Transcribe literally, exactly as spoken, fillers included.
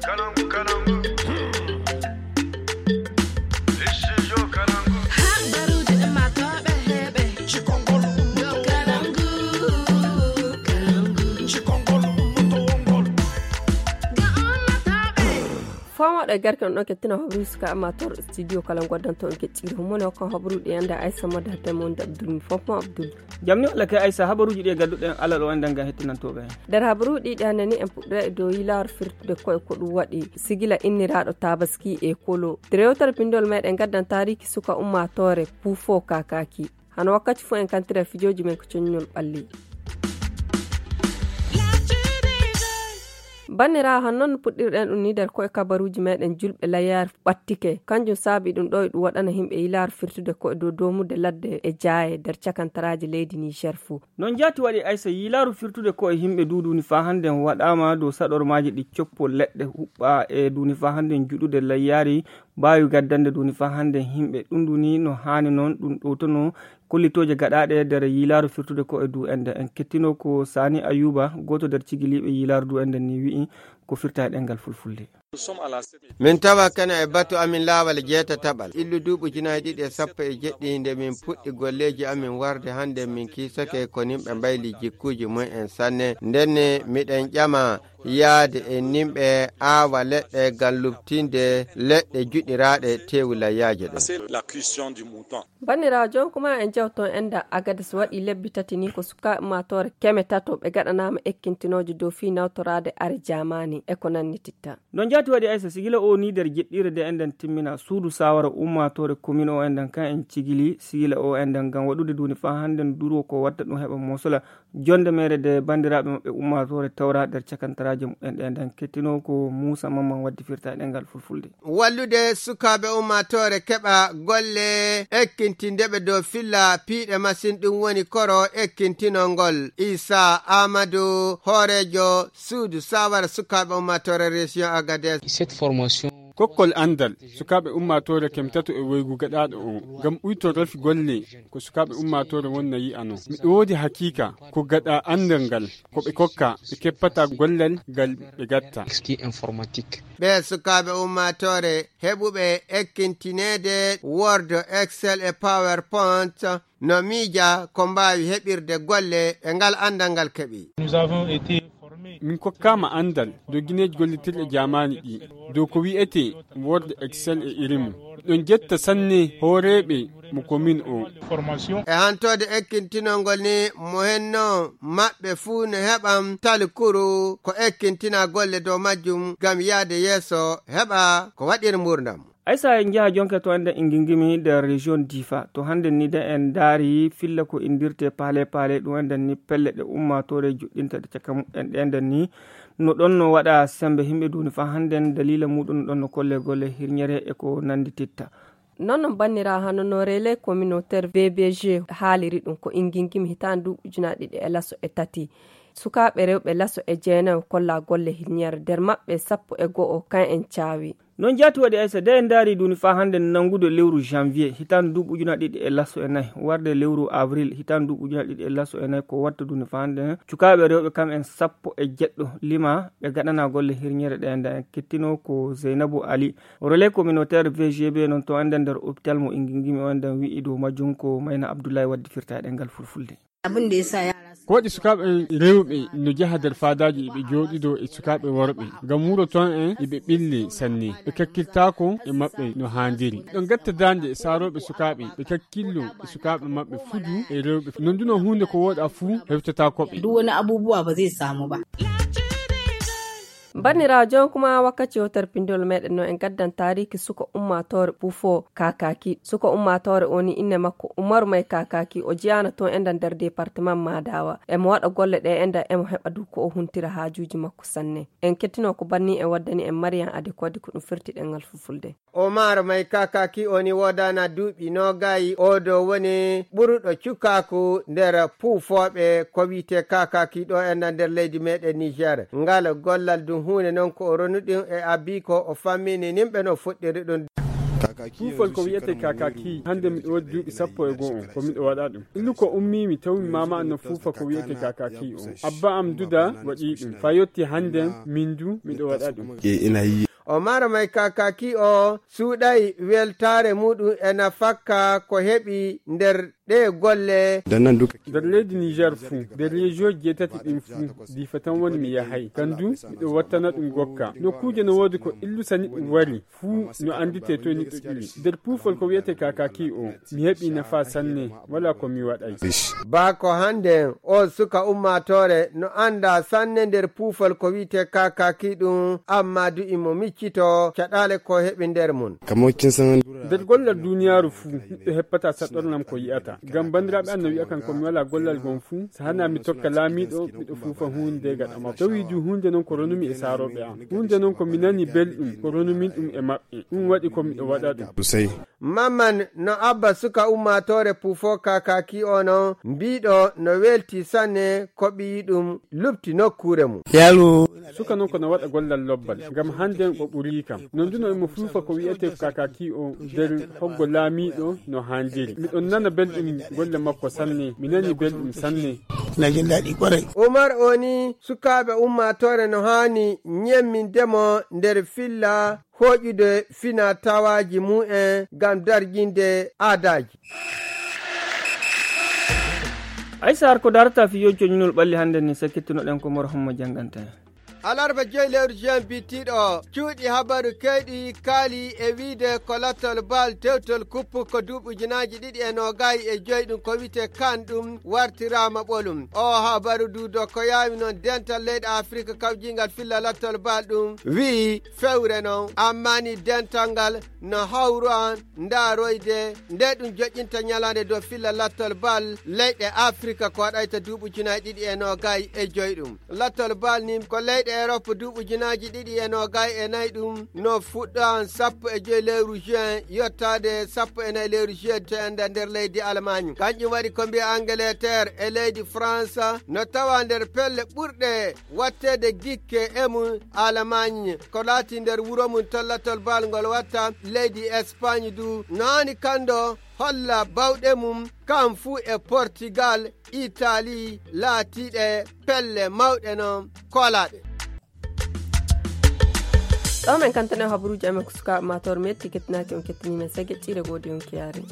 Kalangu, kalangu. Studio Kalangu. Habaruuji ɗi matooɓe heɓe. Cikongol ummoto wongol. Cikongol ummoto wongol. Ga ummatooɓe. Foomoɗo e garke on ɗon kettina hoɓri suka amator studio kala goddanto on kecciri humone o kan hoɓruɗi ande aysa modde hatte mon de abdul mi fompo abdul. Jamni walla kay aysa habaruuji ɗi e gadduɗen alal o enden ngam hettinantooɓe. Nder habaruuji ɗi ɗi hannde ni en puɗɗira e dow yilaaru firtude koye ko ɗum waɗi sigila inniraaɗo tabaski e kolo. Nder yewtere pinndol meɗen gaddan taariki suka ummaatoore puufo kakaki. Hano wakkati fof en kantira fijooji men ko coññol ɓalli. Banniraawo, han noon no puɗɗirɗen ɗum ni nder koye kabaruuji meɗen julɓe layyaare ɓattike. Kanjum saabi ɗum ɗo e ɗum waɗana yimɓe yilaaru firtude koye dow doomude ladde e jaaye nder cakantaraaji leydi Niger fuu. Noon jaati waɗi aysa yilaaru firtude koye yimɓe duuduuni faa hannde waɗaama dow saɗormaaji ɗi coppo leɗɗe huɓɓa e duuni faa hannde juɗude layyaari baawi gaddande duuni faa hannde yimɓe. Ɗum ɗuni no haani noon ɗum ɗowtono kollitooje gaɗaaɗe nder yilaaru firtude ko e du ende. En kettino ko Sani Ayuba, gooto nder cigiliiɓe yilaaru du ende ni wi'i ko firta e ɗemngal fulfulde. Min tawa kene e batu amin laawal jeetataɓal. Illu duuɓi ujunaaji ɗiɗi e sappo e jeɗɗi nde min puɗɗi golleeji amin warde hannde min kiisake ko nimɓe mbayli jikkuuji mum en sanne. Ndenne miɗen ƴama yaade e nimɓe aawa leɗɗe ngam luɓtinde leɗɗe juɗiraaɗe teewu layyaaje ɗen. Banniraawo, jooni kuma en jewto enda Agadez waɗi lebbi tati ni ko sukaaɓe ummaatoore keme tato ɓe gaɗanaama ekkintinooje dow fii nawtoraade are jaamaani e ko nannititta. No jaati waɗi aysa sigila o ni nder jeɗɗiire de enden timmina suudu saawara ummaatoore komin o enden kan en cigili sigila o enden ngam waɗude duuni faa hannden duro ko watta ɗum heɓa mosola jonde mere de banndiraaɓe maɓɓe ummaatoore tawra nder cakantaraaji muɓɓen ɗe nden kettino ko Muusa Mamman waddi firta e ɗemngal fulfulde. Wallude sukaaɓe ummaatoore keɓa golle ekkintindeɓe dow filla piiɗe masin ɗum woni koro ekkintinol ngol. Isa Amadu hooreejo suudu saawara sukaaɓe ummaatoore région Agadez. Cette formation. Kokkol anndal sukaaɓe ummaatoore kemtato e woygu gaɗaaɗo o ngam uyto rafi golle ko sukaaɓe ummaatoore wonna yi'ano. Miɗo woodi hakiika ko gaɗa anndal ngal ko ɓe kokka ɓe keppata gollal ngal ɓe gatta. Ɓe sukaaɓe ummaatoore heɓuɓe ekkintineede Word, Excel e PowerPoint no miija ko mbaawi heɓirde golle e ngal anndal ngal keɓi. Min kokkaama anndal dow gineeji gollitirɗe jaamaani ɗi dow ko wi'etee Word, Excel e irin mum. Ɗon jetta sanne hooreeɓe mo komin o. E hantoode ekkintinol ngol ni mo henno maɓɓe fuu no heɓan talkuru ko ekkintina golle dow majjum ngam yaade yeeso heɓa ko waɗir mbuurndam. Aysa en njaha jonke to enden Ingingimi nder région Difa. To hannden ni de en ndaari filla ko inndirtee paale paale ɗum enden ni pelle ɗe ummaatoore juɗɗinta ɗe caka muɓɓen ɗe enden ni no ɗon no waɗa semmbe yimɓe duuni faa hannden daliila muuɗum no ɗon no kolle golle hirñere e ko nanndititta. Noon noon banniraawo hano no relais communautaire V B G haaliri ɗum ko Ingingimi hitaande duuɓi ujunaaji ɗiɗi e laso e tati. Sukaaɓe rewɓe laso e jeenayo kolla golle hirñere nder maɓɓe sappo e go'o kan en caawi. Noon jaati waɗi aysa de en ndaari duuni faa hannden nanngude lewru janvier hitaande duuɓi ujunaaji ɗiɗi e laso e nayi warde lewru avril hitaande duuɓi ujunaaji ɗiɗi e laso e nayi ko watta duuni faa hannden cukaaɓe rewɓe kam en sappo e jeɗɗo lima ɓe gaɗana golle hirñere ɗe enden en kettino ko Zeynabu Ali relais communautaire V G B noon to enden nder hôpital mo Ingingimi o enden wi'i dow majjum ko Mayna Abdullahi waddi firta e ɗemngal fulfulde. Ko waɗi sukaaɓe rewɓe no njaha nder faadaaji eɓe njooɗidoo e sukaaɓe worɓe ngam wuro toon en eɓe ɓille sanne ɓe kakkiltaako e maɓɓe no haandiri ɗo ngatta daande saarooɓe sukaaɓe ɓe kakkillo e sukaaɓe maɓɓe fudu e rewɓe non duno huunde ko wooɗa fuu hewtataako ɓe. Duk wani abubuwa ba zai samu ba. Banniraawo, jooni kuma wakkati yewtere pinndol meɗen no en gaddan taariki suka ummaatoore Puufo Kakaki. Suka ummaatoore o ni inne makko Umaru May Kakaki, o jiyaana toon enda nder departement Madawa. Emo waɗa golle ɗe enda emo heɓa du ko o huntira haajuuji makko sanne. En kettino ko banni en waddani en Mariam Ade Kodi ko ɗum firti ɗemngal fulfulde. Omar May Kakaki o ni woodana duuɓi noogayi, o ɗo woni ɓuruɗo cukaaku nder puufooɓe ko wiyetee Kakaki ɗo e nder leydi meɗen Niger. Ngal gollal ɗum huunde noon ko o ronu ɗum e abbi ko o fammini nimɓe no fuɗɗiri ɗum. Puufol ko wiyetee kakaki, hannde miɗo waɗi duuɓi sappo e go'o on, ko miɗo waɗa ɗum. Illu ko ummii mi tawi mi maama an no fuufa ko wiyetee kakaki o. Abba am duda waɗi ɗum. Fa yotti hannde min du miɗo waɗa ɗum. O mara may kakaki o suuɗay weltaare muɗum e nafakka ko heɓi nder ɗe golle. Nder leydi Niger fuu, nder rejiyoji jeetati ɗin fuu, difa tan woni mi yahay. Kan du, miɗo wattana ɗum gokka. Nokkuuje no woodi ko illusani ɗum wari, fuu no annditee toy niɗɗo ƴiwi. Nder puufol ko wiyetee kakaki o, mi heɓi nafa sanne, wala ko mi waɗay. Baa ko hannde o suka ummaatoore no annda sanne nder puufol ko wiyetee kakaki ɗum, amma du imo miccito caɗaale ko heɓi nder mum. Nder gollal duniyaaru fuu, neɗɗo heppata saɗɗornam ko yi'ata. Ngam banndiraaɓe an no wi'a kan ko mi walaa gollal ngon fuu, so hanaa mi tokka laamiiɗo, miɗo fuufa huunde gaɗa makko. Tawi du huunde non ko ronumi e saarooɓe an. Huunde non ko mi nani belɗum, ko ronumin ɗum e maɓɓe. Ɗum waɗi ko miɗo waɗa ɗum. Sey. Mamman no abba suka ummaatoore puufo kakaki o non, mbiiɗo no welti sanne ko ɓiyi ɗum lupti nokkuure mum. Suka non ko no waɗa gollal lobbal, ngam hannde o ɓurii kam. Non du no emo fuufa ko wi'etee kakaki o nder hoggo laamiiɗo no haanjiri. Miɗon nana belɗum golle makko sanne, mi nani belɗum sanne. Umar o ni sukaaɓe ummaatoore no haani ñemminde mo nder filla hooƴude fina tawaaji mumen ngam darjinde aadaaji. Ay Saar, ko darata fiyooji coñinol ɓalli hannde ni, sakkittunoɗen ko Mor Homma jannganta en. Alarba joyi lewru juin bitiiɗo o, cuuɗi habaru keyɗi kaali e wiide ko lattol bal tewtol kuppu ko duuɓi ujunaaji ɗiɗi e noogay e joyi ɗum ko wiyetee kan ɗum wartiraama ɓolum. O habaru du do ko yaawi noon dental leyɗe Afirka kawjiingal filla lattol bal ɗum wi'i fewre noon, amma ni dental ngal no hawru an ndaaroyde nde ɗum joƴƴinta ñalaande dow filla lattol bal leyɗe Afirka ko waɗayta duuɓi ujunaaji ɗiɗi e noogay e joyi ɗum. Lattol bal ni ko leyɗe Erop duuɓi ujunaaji ɗiɗi e noogay e nayi ɗum no fuɗɗo an sappo e joyi lewru juin yottaade sappo e nayi lewru juillet to enda nder leydi Almaañ. Kanƴum waɗi ko mbiya Angleterre e leydi France no tawa nder pelle ɓurɗe watteede gikke e mum Almaañ ko laati nder wuro mum to lattol bal ngol watta leydi Espagne du no haani kanndo holla bawɗe mum kan fuu e Portugal, Italie laatiiɗe pelle mawɗe noon koolaaɗe. Ɗo men kantane habaruuji amen ko sukaaɓe matoor metti kettinaaki on kettiniimen sege ƴiire goodi on kiyaari.